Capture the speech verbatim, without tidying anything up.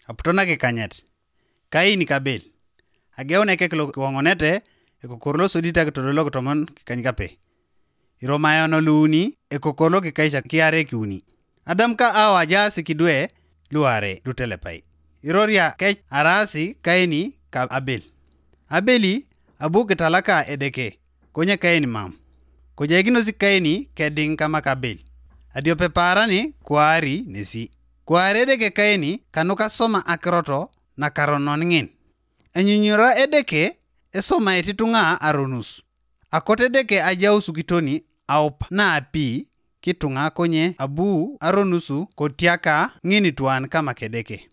Aputo nakikanyet. Kaini ka Abel. Ageun ekek lo kiwoŋonete ekokor lo sodit akitodolok tomon kikany kape. Iromayon luuni ekokor lo kikaisha kiare kiuni. Adam ka Awa ajaas kidwe luare lutelepai. Iroria kec araasi Kaini ka Abel. Abeli abu kitalaka Edeke, konye Kaini mam. Kojaikinos Kaini kediŋ kama ka Abel. Adiope paarani kuari nesi. Kuari Edeke Kaini kanuka soma akirot nakaronon ŋin. Enyunyura Edeke esomait ituŋa aronus. Akot Edeke ajaus kitoni aup naapi kituŋa konye abu aronusu kotiaka ŋinituan kama Kedeke.